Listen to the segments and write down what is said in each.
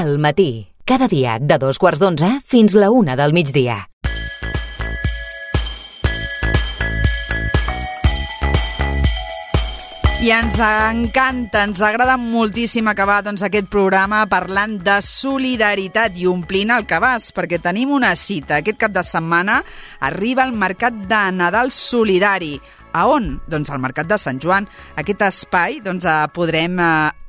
Al matí, cada dia de 2:15 fins la 1 del migdia. I ens encanta, ens agrada moltíssim acabar aquest programa parlant de solidaritat i omplint el cabàs, perquè tenim una cita. Aquest cap de setmana arriba el Mercat de Nadal Solidari. A on? Doncs al Mercat de Sant Joan. Aquest espai podrem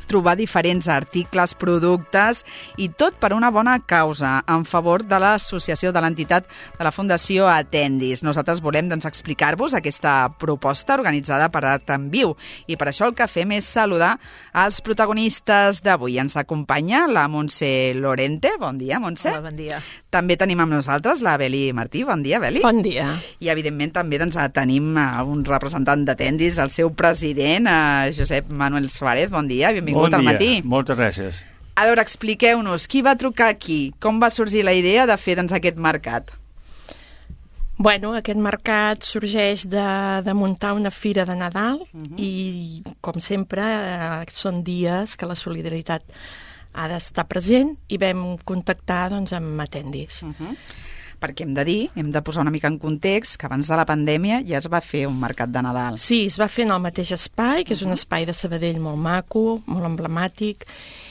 trobar diferents articles, productes i tot per una bona causa en favor de l'associació de l'entitat de la Fundació Atendis. Nosaltres volem explicar-vos aquesta proposta organitzada per Art en Viu i per això el que fem és saludar els protagonistes d'avui. Ens acompanya la Montse Lorente. Bon dia, Montse. Hola, bon dia. També tenim amb nosaltres la Beli Martí. Bon dia, Beli. Bon dia. I evidentment també tenim un representant d'Atendis, el seu president, Josep Manuel Suárez. Bon dia, benvingut al matí. Moltes gràcies. A veure, expliqueu-nos, qui va trucar aquí? Com va sorgir la idea de fer aquest mercat? Bueno, aquest mercat sorgeix de muntar una fira de Nadal i, com sempre, són dies que la solidaritat ha d'estar present i vam contactar amb Atendis. Perquè hem de posar una mica en context que abans de la pandèmia ja es va fer un mercat de Nadal. Sí, es va fer en el mateix espai, que és un espai de Sabadell molt maco, molt emblemàtic,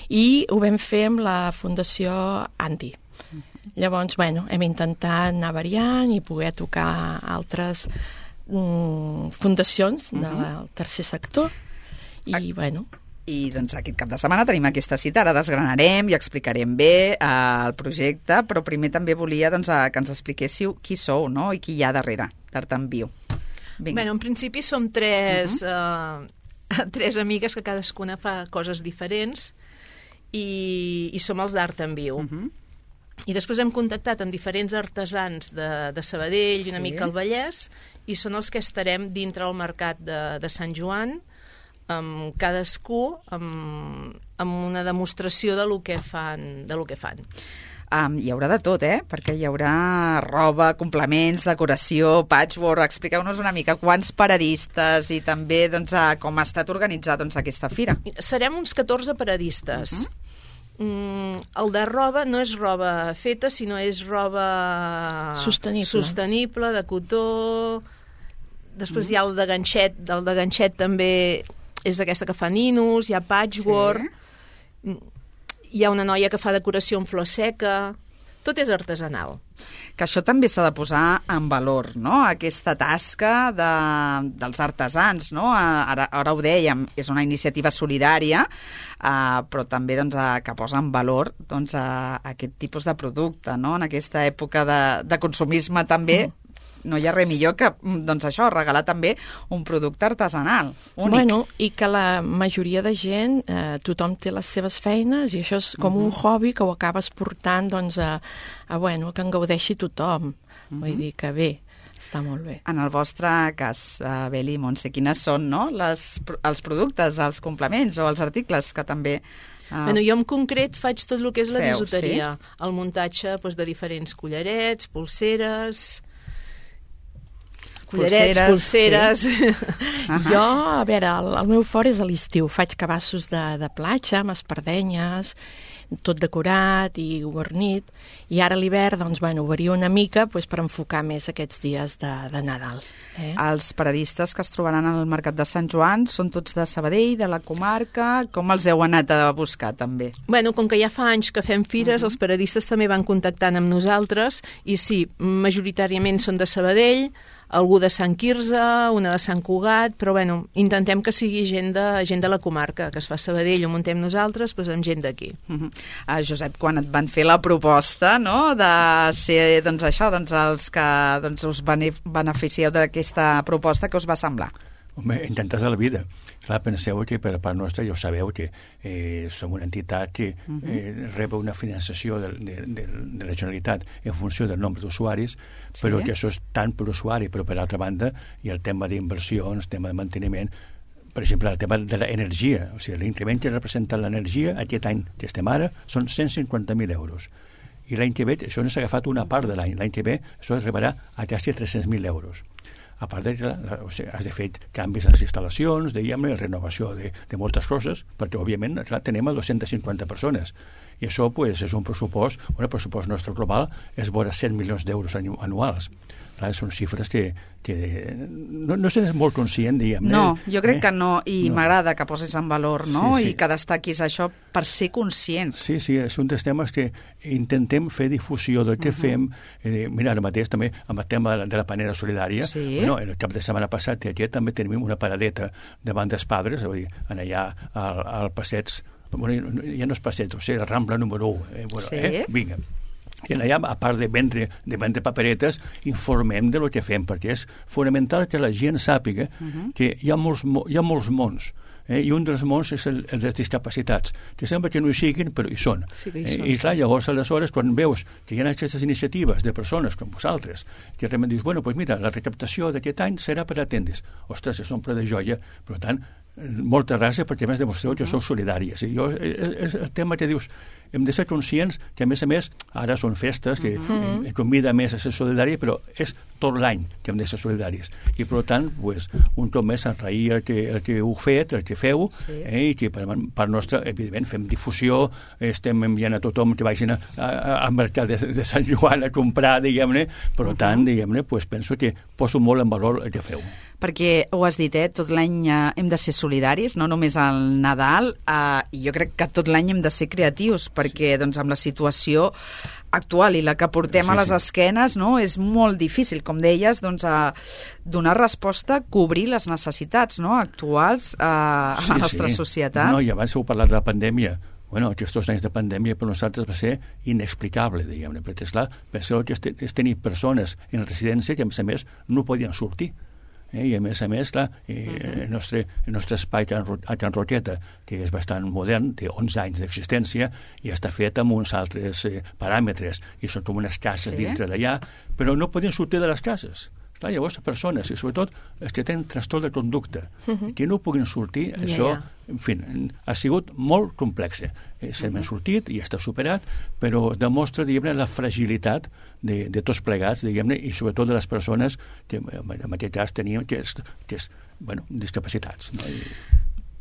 i ho vam fer amb la Fundació Andi. Llavors, hem intentat anar variant i poder tocar altres fundacions del tercer sector i, I aquest cap de setmana tenim aquesta cita, ara desgranarem i explicarem bé el projecte, però primer també volia que ens expliquéssiu qui sou, no?, i qui hi ha darrere d'Art en Viu. En principi som tres amigues que cadascuna fa coses diferents i som els d'Art en Viu. I després hem contactat amb diferents artesans de Sabadell i una mica al Vallès i són els que estarem dintre el mercat de Sant Joan, amb cadascú amb una demostració de lo que fan. Hi haurà de tot, perquè hi haurà roba, complements, decoració, patchwork. Expliqueu-nos una mica quants paradistes i també com ha estat organitzat aquesta fira. Serem uns 14 paradistes. El de roba no és roba feta, sinó és roba sostenible, de cotó. Després hi ha el de ganxet. El de ganxet també és aquesta que fa ninos, hi ha patchwork, hi ha una noia que fa decoració en flor seca, tot és artesanal. Que això també s'ha de posar en valor, no?, aquesta tasca dels artesans, no? Ara ho dèiem, és una iniciativa solidària, però també que posa en valor aquest tipus de producte, no?, en aquesta època de consumisme també. No hi ha res millor que, això, regalar també un producte artesanal, únic. I que la majoria de gent, tothom té les seves feines i això és com un hobby que ho acabes portant, que en gaudeixi tothom. Vull dir que bé, està molt bé. En el vostre cas, Beli i Montse, quines són, no?, els productes, els complements o els articles que també... Jo en concret faig tot el que és la bisuteria, el muntatge de diferents collarets, pulseres... Pulseres. Sí. Jo, a veure, el meu fort és a l'estiu. Faig cabassos de platja, amb espardenyes, tot decorat i guarnit. I ara a l'hivern, ho vario una mica per enfocar més aquests dies de Nadal. Els paradistes que es trobaran al Mercat de Sant Joan són tots de Sabadell, de la comarca. Com els heu anat a buscar, també? Com que ja fa anys que fem fires, els paradistes també van contactant amb nosaltres i sí, majoritàriament són de Sabadell, algú de Sant Quirze, una de Sant Cugat, però intentem que sigui gent de la comarca, que es fa a Sabadell, ho muntem nosaltres, amb gent d'aquí. Josep, quan et van fer la proposta, no?, de ser, els que us beneficieu d'aquesta proposta, què us va semblar? Home, intentar de la vida. Clar, penseu que per part nostra ja ho sabeu que som una entitat que rep una finançació de la Generalitat en funció del nombre d'usuaris, però que això és tant per usuari, però per altra banda hi ha el tema d'inversions, tema de manteniment, per exemple, el tema de l'energia. O sigui, l'increment que representa l'energia aquest any que estem ara són 150.000 euros. I l'any que ve, això no s'ha agafat una part de l'any. L'any que ve això arribarà a quasi 300.000 euros. A part de que has de fer canvis a les instal·lacions, renovació de moltes coses, perquè, òbviament, tenim 250 persones I això pues, és un pressupost, el pressupost nostre global és vora 100 milions d'euros anuals. Clar, són xifres que no se n'és molt conscient, diguem. No, jo crec que no, i m'agrada que posis en valor, no? Sí. I que destaquis això per ser conscients. Sí, és un dels temes que intentem fer difusió del que fem. Mira, ara mateix també amb el tema de la panera solidària, el cap de setmana passat i aquest també tenim una paradeta davant dels Padres, vull dir, allà al passeig, ja no és passeig, o sigui, la Rambla número 1. Vinga. I allà, a part de vendre paperetes, informem de lo que fem, perquè és fonamental que la gent sàpiga que hi ha molts mons, i un dels mons és el dels discapacitats, que sembla que no hi siguin, però hi són. I clar, llavors, aleshores, quan veus que hi ha aquestes iniciatives de persones com vosaltres, que realment dius, bueno, doncs mira, la recaptació d'aquest any serà per atendre's. Ostres, és omple de joia, per tant, molta gràcia perquè a més demostreu que sou solidàries. I és el tema que dius, hem de ser conscients que a més ara són festes que convida més a ser solidari, però és tot l'any que hem de ser solidaris. I per tant, pues, un cop més agrair el que heu fet, el que feu, i que per part nostra, evidentment, fem difusió, estem enviant a tothom que vagin al mercat de Sant Joan a comprar, diguem-ne, per tant, diguem-ne, pues, penso que poso molt en valor el que feu. Perquè ho has dit, tot l'any hem de ser solidaris, no només al Nadal, i jo crec que tot l'any hem de ser creatius, perquè doncs, amb la situació actual i la que portem a les esquenes, no, és molt difícil, com deies, doncs, donar resposta, cobrir les necessitats, no, actuals a la nostra societat. No, i abans heu parlat de la pandèmia. Bueno, aquests anys de pandèmia per nosaltres va ser inexplicable, diguem-ne, perquè, esclar, penseu que és tenir persones en residència que, a més, no podien sortir. I a més, clar, el nostre espai a Can Roqueta, que és bastant modern, té 11 anys d'existència i està fet amb uns altres paràmetres, i són com unes cases dintre d'allà, però no podien sortir de les cases. Clar, llavors, persones, i sobretot els que tenen trastorn de conducta, que no puguin sortir, això, en fi, ha sigut molt complex. Se n'ha sortit i està superat, però demostra, diguem-ne, la fragilitat de tots plegats, diguem-ne, i sobretot de les persones que en aquest cas tenien que és, bueno, discapacitats. No?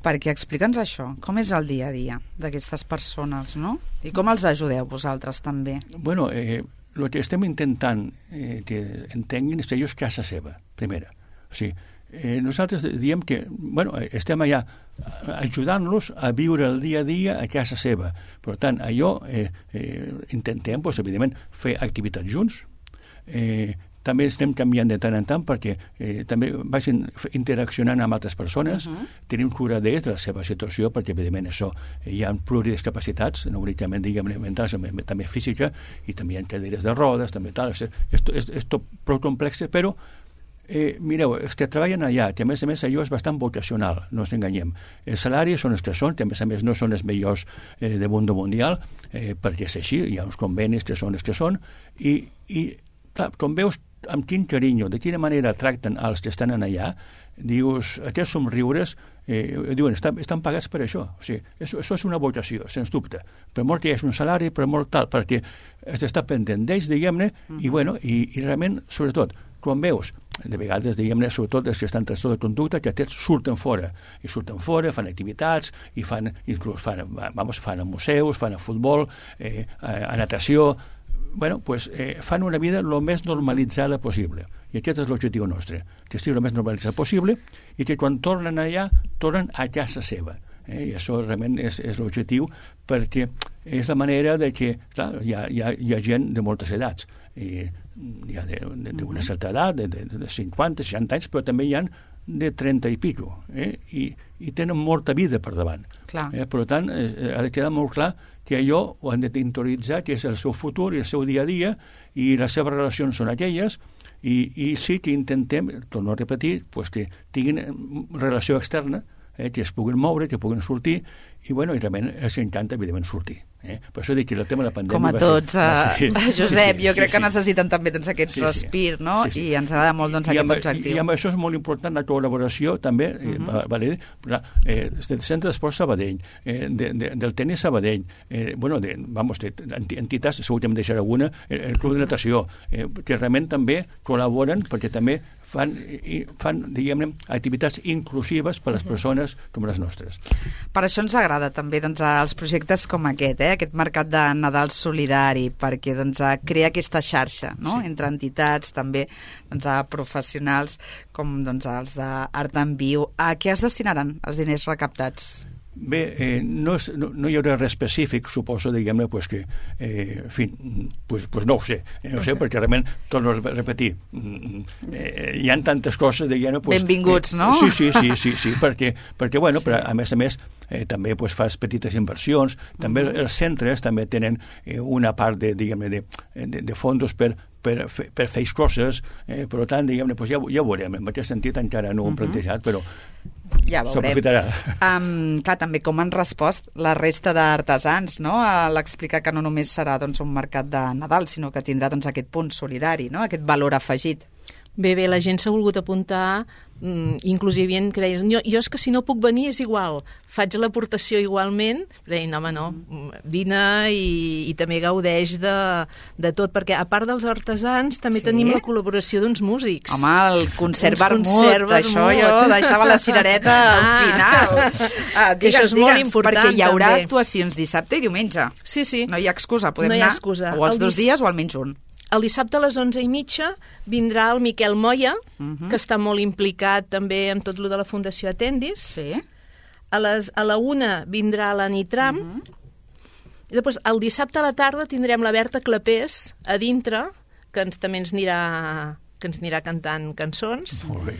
Perquè explica'ns això, com és el dia a dia d'aquestes persones, no? I com els ajudeu vosaltres també? Bueno, el que estem intentant que entenguin és que allò és casa seva, primera. O sigui, nosaltres diem que, bueno, estem allà ajudant-los a viure el dia a dia a casa seva. Per tant, allò intentem, doncs, evidentment, fer activitats junts. També estem canviant de tant en tant perquè també vagin interaccionant amb altres persones, tenim cura d'ells, de la seva situació, perquè evidentment això hi ha pluridiscapacitats, no únicament, diguem-ne, mentals, també física, i també hi ha caderes de rodes, també tal, és tot prou complex, però mireu, els que treballen allà, que a més allò és bastant vocacional, no ens enganyem. Els salaris són els que són, que a més no són els millors de mundo mundial, perquè és així, hi ha uns convenis que són els que són, i clar, com veus amb quin carinyo, de quina manera tracten els que estan allà, dius, aquests somriures, diuen, estan pagats per això. O sigui, això és una vocació, sens dubte. Per molt que hi hagi un salari, per molt tal, perquè has d'estar pendent d'ells, diguem-ne, i bueno, i realment, sobretot, quan veus, de vegades, diguem-ne, sobretot els que estan en trastorn de conducta, que aquests surten fora, fan activitats, i inclús fan a museus, fan a futbol, a natació, bueno, pues, fan una vida el més normalitzada possible. I aquest és l'objectiu nostre, que estigui el més normalitzat possible i que quan tornen allà, tornen a casa seva. I això realment és l'objectiu, perquè és la manera de que, clar, hi ha gent de moltes edats. Hi ha d'una certa edat, de 50, 60 anys, però també hi ha de 30 i pico, i tenen molta vida per davant. Per tant, ha de quedar molt clar que allò ho han d'interioritzar, que és el seu futur i el seu dia a dia, i les seves relacions són aquelles, i sí que intentem, torno a repetir, pues que tinguin relació externa, que es puguin moure, que puguin sortir, i bueno, i realment els encanta, evidentment, sortir. Per això dic que el tema de la pandèmia... Com a tots, Josep, jo crec que necessiten també doncs, aquest respir, no? I ens agrada molt doncs, aquest objectiu. I amb això és molt important la col·laboració, també, del Centre d'Esport Sabadell, del tenis Sabadell, entitats, segur que em deixaré alguna, el Club de Natació, que realment també col·laboren perquè també fan diguem-ne, activitats inclusives per a les persones com les nostres. Per això ens agrada també doncs, els projectes com aquest mercat de Nadal solidari, perquè doncs, crea aquesta xarxa, no? Sí. Entre entitats, també doncs, professionals com doncs, els d'Art en Viu. A què es destinaran els diners recaptats? Bé, no hi haurà res específic, suposo, diguem-ne, pues que, en fi, pues no ho sé, perquè realment, torno a repetir, hi ha tantes coses, diguem-ne... Pues, benvinguts, no? Sí, perquè bueno, però a més, també pues, fas petites inversions, també els centres també tenen una part de, diguem-ne, de fondos per fer coses, per tant, diguem-ne, pues ja ho veurem, en aquest sentit encara no ho hem plantejat, però ja s'aprofitarà. Clar, també com han respost la resta d'artesans, no? A l'explicar que no només serà doncs, un mercat de Nadal, sinó que tindrà doncs, aquest punt solidari, no? Aquest valor afegit. Bé, la gent s'ha volgut apuntar, inclusive hi havia que deien, jo és que si no puc venir és igual, faig l'aportació igualment, però deien, home, no, vine i també gaudeix de tot, perquè a part dels artesans també tenim la col·laboració d'uns músics. Home, el concert vermut, això jo deixava la cirereta al final. Això és molt important, perquè hi haurà també. Actuacions dissabte i diumenge. Sí. No hi ha excusa, podem anar o els 2 dies o almenys un. El dissabte a les 11:30 vindrà el Miquel Moya, que està molt implicat també en tot lo de la Fundació Atendis. Sí. A la 1 vindrà la Nitram. I després, el dissabte a la tarda tindrem la Berta Clapés a dintre, que també ens anirà cantant cançons. Molt bé.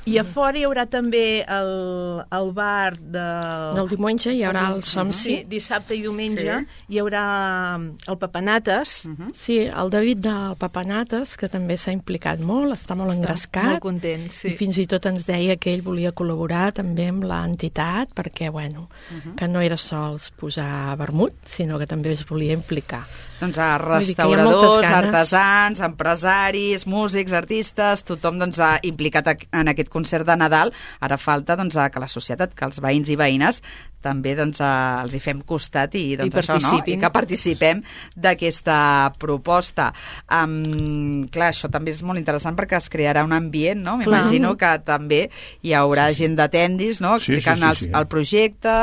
I a fora hi haurà també el bar del diumenge, hi haurà el Som Sí, dissabte i diumenge hi haurà el Papanates. Sí, el David del Papanates, que també s'ha implicat molt, està molt engrescat. Molt content, sí. I fins i tot ens deia que ell volia col·laborar també amb l'entitat, perquè, bueno, que no era sols posar vermut, sinó que també es volia implicar. Doncs a restauradors, artesans, empresaris, músics, artistes, tothom doncs, ha implicat en aquest concert de Nadal. Ara falta doncs, que la societat, que els veïns i veïnes també doncs, els hi fem costat i, doncs, I que participem d'aquesta proposta. Clar, això també és molt interessant perquè es crearà un ambient, no? M'imagino que també hi haurà gent d'Atendis, no? Explicant el projecte,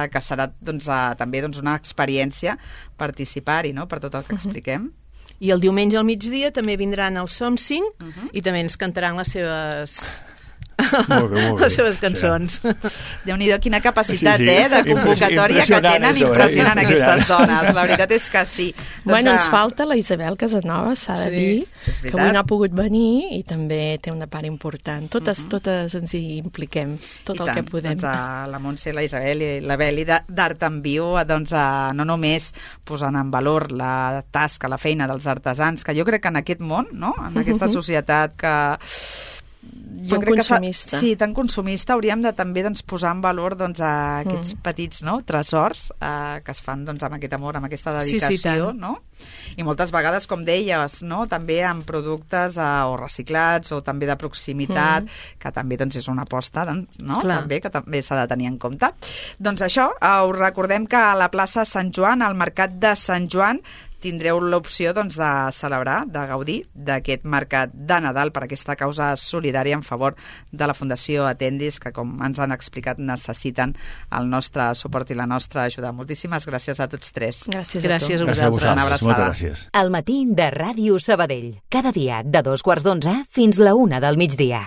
que serà doncs, també doncs, una experiència participar-hi, no?, per tot el que expliquem. I el diumenge al migdia també vindran els Som 5 i també ens cantaran les seves... Molt bé. Les seves cançons. Déu-n'hi-do, quina capacitat de convocatòria que tenen, impressionant aquestes dones. La veritat és que sí. Bueno, ens falta la Isabel Casanova, s'ha de dir, que avui no ha pogut venir i també té una part important. Totes ens hi impliquem, tot el que podem. Doncs la Montse, la Isabel i la Beli d'Art en Viu, doncs no només posant en valor la tasca, la feina dels artesans, que jo crec que en aquest món, no?, en aquesta societat que... tan consumista. Tan consumista, hauríem de també doncs, posar en valor doncs, aquests petits tresors que es fan doncs, amb aquest amor, amb aquesta dedicació, no? I moltes vegades, com deies, no? També amb productes o reciclats o també de proximitat, que també doncs, és una aposta, no? També, que també s'ha de tenir en compte. Doncs això, us recordem que a la plaça Sant Joan, al Mercat de Sant Joan, tindreu l'opció doncs, de celebrar, de gaudir d'aquest mercat de Nadal per aquesta causa solidària en favor de la Fundació Atendis, que, com ens han explicat, necessiten el nostre suport i la nostra ajuda. Moltíssimes gràcies a tots tres. Gràcies a vosaltres. Una abraçada. Moltes gràcies. Al matí de Ràdio Sabadell. Cada dia de 2:15 fins la 1 del migdia.